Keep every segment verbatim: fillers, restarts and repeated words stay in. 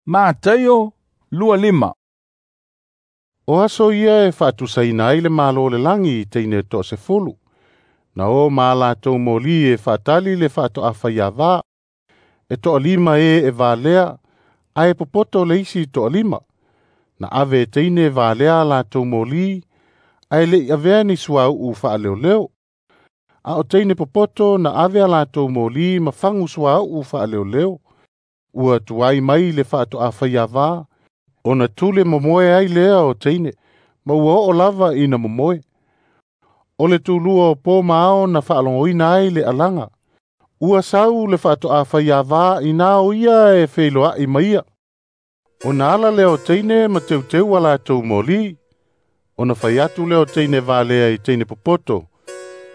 Mataio lua lima. O aso ia e faatusaina ai le malo o le lagi i teine toasefulu. Na o ma latou moli e faatali le faatoafaiava. E toalima e e valea, ae popoto le isi toalima. Na ave e teine valea latou moli, ae le'i avea ni suauu faaleoleo. A o teine popoto na ave a latou moli ma fagu suauu faaleoleo. Ua tuai mai le faatoafaiava, ona tule momoe ai lea o teine, ma ua oo lava ina momoe. O le tulua o po ma ao na faalogoina ai le alaga. Ua sau le faatoafaiava ina o ia e feiloai ma ia. Ona ala lea o teine ma teuteu a latou moli. Ona fai atu lea o teine valea i teine popoto.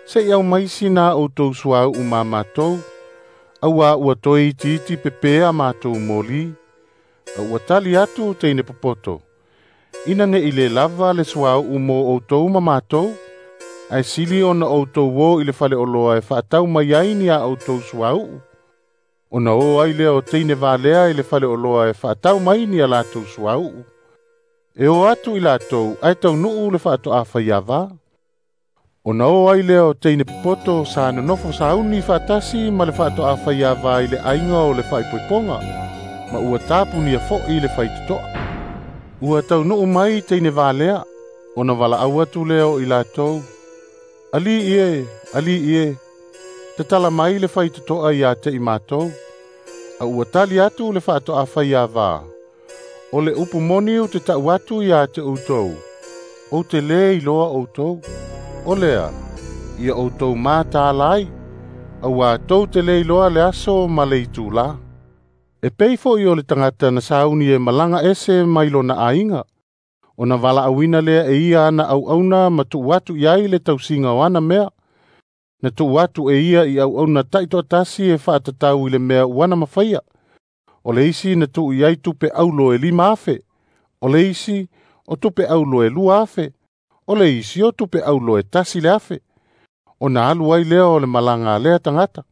Se'i aumai sina outou suauu ma matou, auā ua toe itiiti pepē a matou moli. A ua tali atu teine popoto. Ina ne'i lē lava le suauu mo outou ma matou, ae sili ona outou o i le faleoloa e faatau mai ai ni a outou suauu. Ona o ai lea o teine valea i le faleoloa e faatau mai ni a latou suauu. E o atu i latou ae taunuu le faatoafaiava. Ona o ai lea o teine popoto sa nonofo sauni faatasi ma le faatoafaiava i le aiga o le faaipoipoga, ma ua tapunia fo'i le faitotoa. Ua taunuu mai teine valea, ona valaau atu lea o i latou. Ali'i e, ali'i e, tatala mai le faitotoa ia te i matou. A ua tali atu le faatoafaiava. O le upu moni ou te tau atu ia te outou, ou te lē iloa outou. O lea, ia outou mataala ai, auā tou te lē iloa le aso ma le itulā. E pei fo'i o le tagata na sauni e malaga ese mai lona aiga, ona valaauina lea e ia ana auauna ma tuu atu i ai le tausiga o ana mea. Na tuu atu e ia i auauna taitoatasi e faatatau i le mea ua na mafaia. O le isi na tuu i ai tupe aulo e lima afe, o le isi o tupe aulo e lua afe, o le isi o tupe aulo e tasi le afe. Ona alu ai lea o le malaga a lea tagata.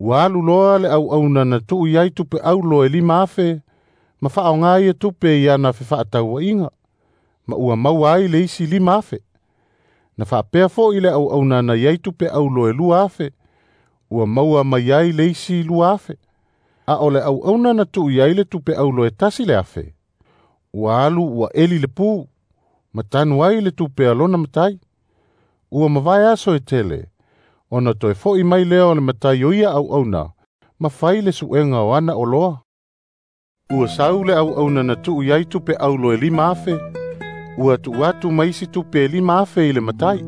Ua alu loa le auauna na tuu i ai tupe aulo e lima afe, ma faaaoga ia tupe i ana fefaatauaiga, ma ua maua ai le isi lima afe. Na faapea fo'i le auauna na i ai tupe aulo e lua afe, ua maua mai ai le isi lua afe. A o le auauna na tuu i ai le tupe aulo e tasi le afe, ua alu ua eli le pu, ma tanu ai le tupe a lona matai. Ua mavae aso e tele, ona toe fo'i mai lea o le matai o ia auauna, ma fai le suega o ana oloa. Ua sau le auauna na tuu i ai tupe aulo e lima afe, ua tuu atu ma isi tupe e lima afe i le matai.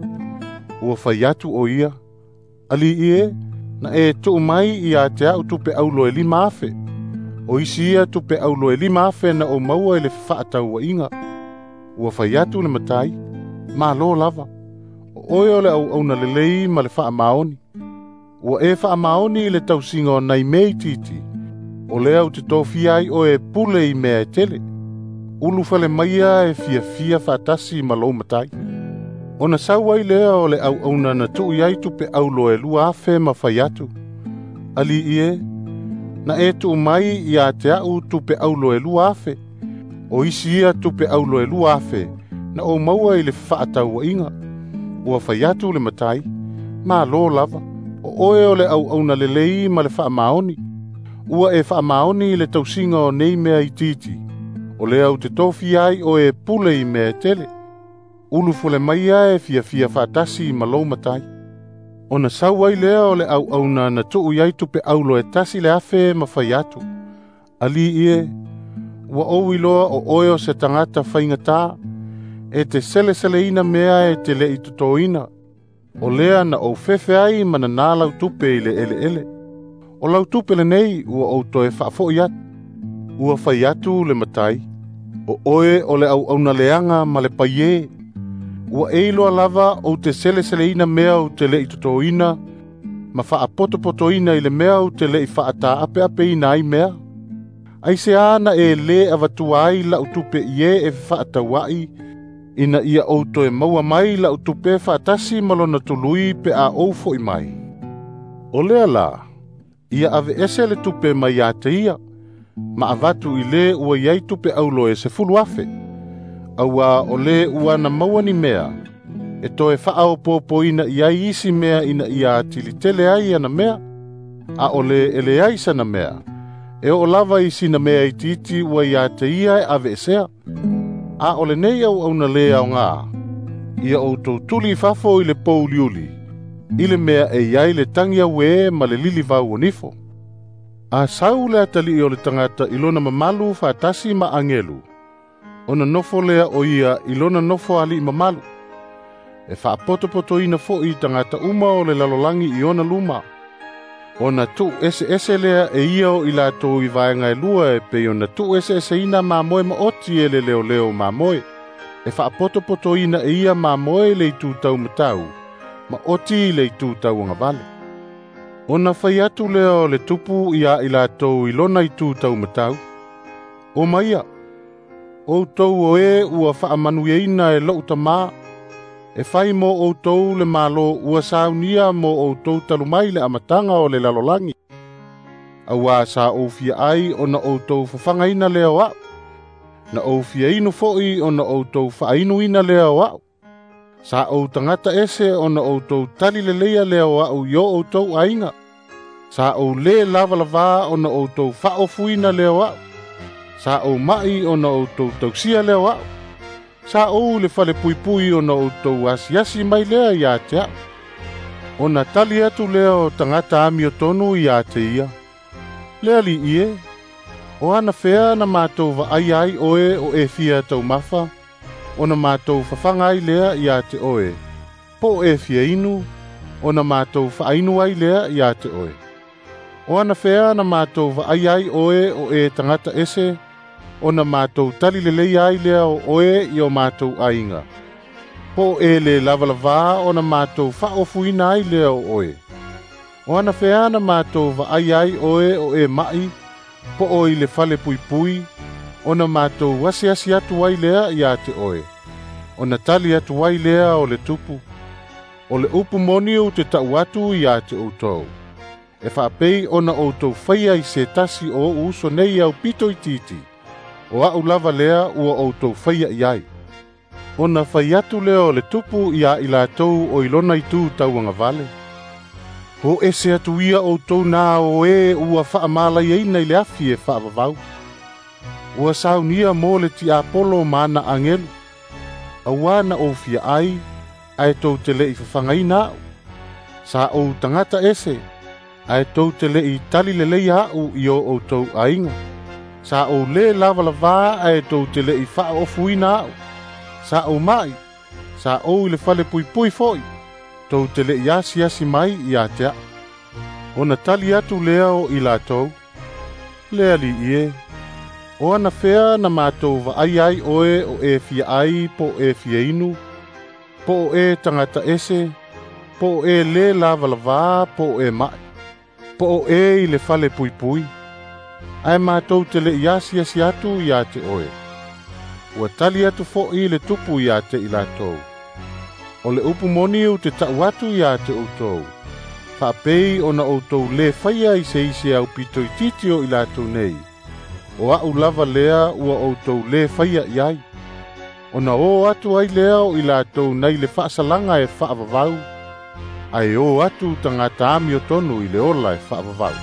Ua fai atu o ia, Ali'i e, na e tuu mai ia te a'u tupe aulo e lima afe. O isi ia tupe aulo e lima afe na ou maua i le fefaatauaiga. Ua fai atu le matai, malo lava. O oe o le auauna lelei ma le faamaoni. Ua e faamaoni i le tausiga o nai mea itiiti. O lea ou te tofia ai oe e pule i mea e tele. Ulufale maia e fiafia faatasi ma lou matai. Ona sau ai lea o le auauna na tuu i ai tupe aulo e lua afe ma fai atu. Ali'i e, na e tuu mai ia te a'u tupe aulo e lua afe. O isi ia tupe aulo e lua afe na ou maua i le fefaatauaiga. Ua fai atu le matai, malo lava, o oe o le auauna lelei ma le faamaoni. Ua e faamaoni i le tausiga o nei mea itiiti. O lea ou te tofia ai oe e pule i mea e tele. Ulufale maia e fiafia faatasi ma lou matai. Ona sau ai lea o le auauna na tuu i ai tupe aulo e tasi le afe ma fai atu. Ali'i e, ua ou iloa o oe o se tagata faigatā, e te seleseleina mea e te le'i totoina. O lea na ou fefe ai ma nanā lau tupe i le eleele. O lau tupe lenei ua ou toe faafo'i atu. Ua fai atu le matai, o oe o le auauna leaga ma le paiē. Ua e iloa lava ou te seleseleina mea ou te le'i totoina, ma faapotopotoina i le mea ou te le'i faataapeapeina ai mea. Aisea na e lē avatua ai la'u tupe i e e fefaataua'i, ina ia ou toe maua mai la'u tupe faatasi ma lona tului pe a ou fo'i mai. O lea la, ia aveese le tupe mai ia te ia, Ma avatu i le ua iai tupe aulo e sefulu afe. Auā o le ua na maua ni mea, e toe faaopoopoina i ai isi mea ina ia atili tele ai ana mea, a o le e leai sana mea, e oo lava i sina mea itiiti ua ia te ia e aveesea. A o lenei auauna lē aogā, ia outou tuli i fafo i le pouliuli, i le mea e i ai le tagi auē ma le lilivau o nifo. A sau le atalii o le tagata i lona mamalu faatasi ma agelu, ona nofo lea o ia i lona nofo alii mamalu. E faapotopotoina foʻi tagata uma o le lalolagi i ona luma. Ona tuu eseese lea e ia o i latou i vaega e lua e pei ona tuu eseeseina mamoe maoti e le leoleo mamoe. E faapotopotoina e ia mamoe le itu taumatau, ma oti le itu tauagavale. Ona fai atu lea o le tupu iā i latou i lona itu taumatau, O maia, outou o e ua faamanuiaina e lo'u tamā, e fai mo outou le malo ua saunia mo outou talu mai le amataga o le lalolagi. Auā sa ou fia ai ona outou fafagaina lea o a'u, na ou fia inu foʻi ona outou faainuina lea o a'u. Sa ou tagata ese ona outou tali leleia lea o a'u i o outou aiga. Sa ou lē lavalavā ona outou faaofuina lea o a'u. Sa ou ma'i ona outou tausia lea o a'u. Sa ou i le falepuipui ona outou asiasi mai lea iā te a'u. Ona tali atu lea o tagata amiotonu iā te ia, Le alii e, o anafea na matou vaaia ai oe o e fia taumafa, ona matou fafaga ai lea iā te oe, po o e fia inu, ona matou faainu ai lea iā te oe. O anafea na matou vaaia ai oe o e tagata ese, ona matou tali leleia ai lea o oe i o matou aiga. Po o e lē lavalavā ona matou faaofuina ai lea o oe. O anafea na matou vaaia ai oe o e maʻi, po o i le falepuipui, ona matou asiasi atu ai lea iā te oe. Ona tali atu ai lea o le tupu, O le upu moni ou te ta'u atu iā te outou, e faapei ona outou faia i se tasi o o'u uso nei aupito itiiti, o a'u lava lea ua outou faia i ai. Ona fai atu lea o le tupu iā i latou o i lona itu tauagavale, O ese atu ia outou na o e ua faamalaiaina i le afi e faavavau. Ua saunia mo le tiapolo ma ana agelu, auā na ou fia ai, ae tou te leʻi fafagaina a'u. Sa ou tagata ese, ae tou te leʻi tali leleia a'u i o outou aiga. Sa ou lē lavalavā ae tou te leʻi faaofuina a'u. Sa ou maʻi, sa ou i le falepuipui foʻi, tou te leʻi asiasi mai iā te a'u. Ona tali atu lea o i latou, Le alii e, o anafea na matou vaaia ai oe o e fia ai po o e fia inu, po o e tagata ese, po o e lē lavalavā po o e maʻi, po o e i le falepuipui, ae matou te leʻi asiasi atu iā te oe. Ua tali atu foʻi le tupu iā te i latou, O le upu moni ou te ta'u atu iā te outou, faapei ona outou lē faia i se isi aupito itiiti o i latou nei, o a'u lava lea ua outou lē faia i ai. Ona o atu ai lea o i latou nai le faasalaga e faavavau, ae o atu tagata amiotonu i le ola e faavavau.